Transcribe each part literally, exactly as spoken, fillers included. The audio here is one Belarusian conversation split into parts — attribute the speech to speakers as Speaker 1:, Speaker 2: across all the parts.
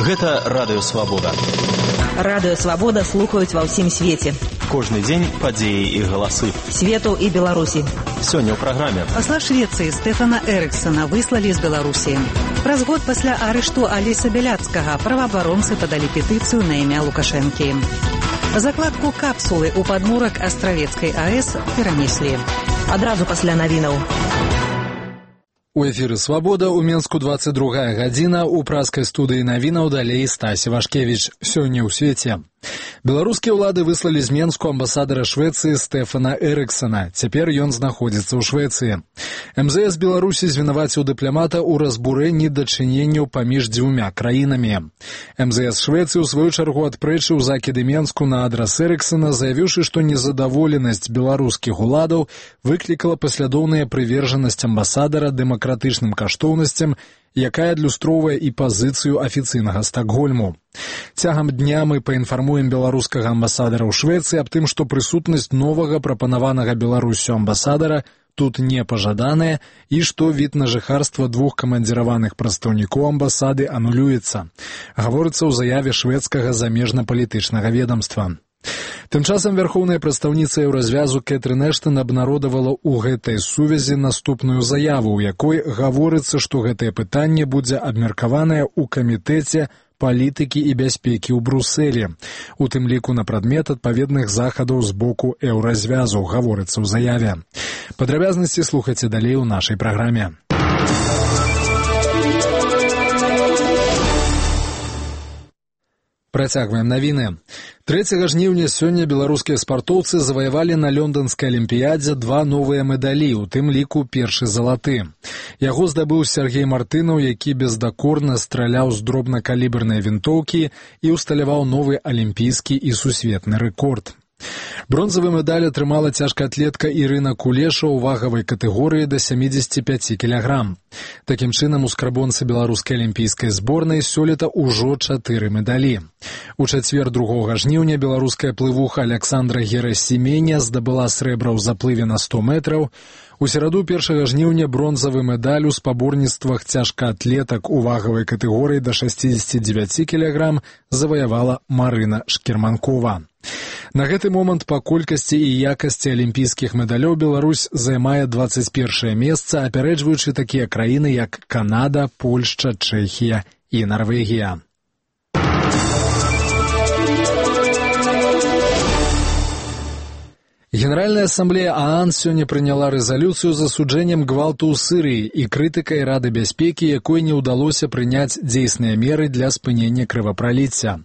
Speaker 1: Гэта Радыё Свабода.
Speaker 2: Радыё Свабода слухаюць ва ўсім свеце.
Speaker 1: Кожны дзень падзеі і галасы.
Speaker 2: Свету і Беларусі.
Speaker 1: Сёння ў праграме.
Speaker 3: Пасла Швецыі Стэфана Эрыксона выслалі з Беларусі. Праз год пасля арышту Алеся Бяляцкага праваабаронцы падалі петыцыю на імя Лукашэнкі. Закладку капсулы ў падмурак Астравецкай АЭС перанеслі.
Speaker 2: Адразу пасля навінаў.
Speaker 4: У эфіры «Свабода» у Менску двадцать другая гадзіна, у праскай студыі навінаў далей Стасі Вашкевіч. Сёння ў свеце. Беларускія ўлады выслалі з Менску амбасадара Швецыі Стэфана Эрыксона. Цяпер ён знаходзіцца ў Швецыі. эм зэ эс Беларусі звінаваціў дыпламата ў разбурэнні дачыненняў паміж дзвюмя краінамі. эм зэ эс Швецыі ў сваю чаргу адпрэчыў закіды Менску на адрас Эрыксона, заявіўшы, што незадаволенасць беларускіх уладаў выклікала паслядоўная прывержанасць амбасадара дэмакратычным каштоўнасцям, якая адлюстроўвае і пазіцыю афіцыйнага Стакгольму. Цягам дня мы паінфармуем беларускага амбасадара ў Швецыі аб тым, што прысутнасць новага прапанаванага Беларусю амбасадара тут не пажаданая і што від на жыхарства двух камандзіраваных прадстаўнікоў амбасады анулюецца. Гаворыцца ў заяве шведскага замежна-палітычнага ведамства. Тым часам вярхоўная прадстаўніца Еўразвязу Кэтрын Эштон абнародавала ў гэтай сувязі наступную заяву, у якой гаворыцца, што гэтае пытанне будзе абмеркаванае ў камітэце палітыкі і бяспекі ў Брусэлі, у тым ліку на прадмет адпаведных захадаў з боку Еўразвязу, гаворыцца ў заяве. Падрабязнасці слухайце далей у нашай праграме. Працягваем навіны. трэцяга жніўня сёння беларускія спартоўцы заваявалі на лёнданскай алімпіядзе два новыя медалі, у тым ліку першы залаты. Яго здабыў Сергей Мартынаў, які бездакорна страляў з дробнакалібернай вінтоўкі і ўсталяваў новы алімпійскі і сусветны рэкорд. Бронзавы медаль атрымала цяжкаатлетка Ірына Кулеша ў вагавай катэгорыі да сямідзесяці пяці кілаграм. Такім чынам, у скрабонцы беларускай алімпійскай зборнай сёлета ўжо чатыры медалі. У чацвер другога жніўня беларуская плывуха Аляксандра Герасіменя здабыла срэбра ў заплыве на сто метраў. У сераду першага жніўня бронзавы медаль у спаборніцтвах цяжкаатлетак у вагавай катэгорыі да шасцідзесяці дзевяці кілаграм заваявала Марына Шкерманкова. На гэты момант па колькасці і якасці алімпійскіх медалёў Беларусь займае дваццаць першае месца, апярэджваючы такія краіны, як Канада, Польшча, Чэхія і Нарвегія. Генеральная ассамблея ААН сёння прыняла рэзалюцыю з асуджэннем гвалту ў Сырыі і крытыкай Рады бяспекі, якой не ўдалося прыняць дзейсныя меры для спынення крывапраліцця.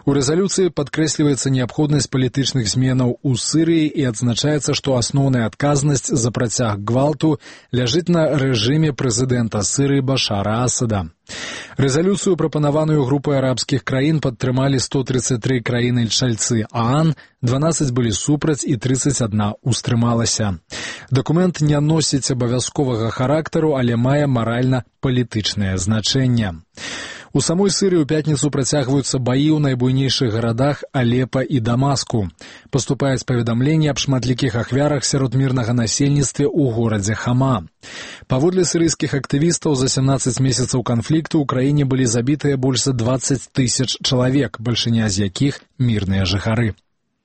Speaker 4: У рэзалюцыі падкрэсліваецца неабходнасць палітычных зменаў у Сырыі і адзначаецца, што асноўная адказнасць за працяг гвалту ляжыць на рэжыме прэзідэнта Сырыі Башара Асада. Рэзалюцыю, прапанаваную групай арабскіх краін, падтрымалі сто трыццаць тры краіны-чальцы ААН, дванаццаць былі супраць і трыццаць адна ўстрымалася. Дакумент не носіць абавязковага характару, але мае маральна-палітычнае значэнне. У самой Сырыі ў пятніцу працягваюцца баі ў найбуйнейшых гарадах Алепа і Дамаску. Паступаюць паведамленні аб шматлікіх ахвярах сярод мірнага насельніцтва ў горадзе Хама. Паводле сірыйскіх актывістаў, за сямнаццаць месяцаў канфлікту ў краіне былі забітыя больш за дваццаць тысяч чалавек, бальшыня з якіх мірныя жыхары.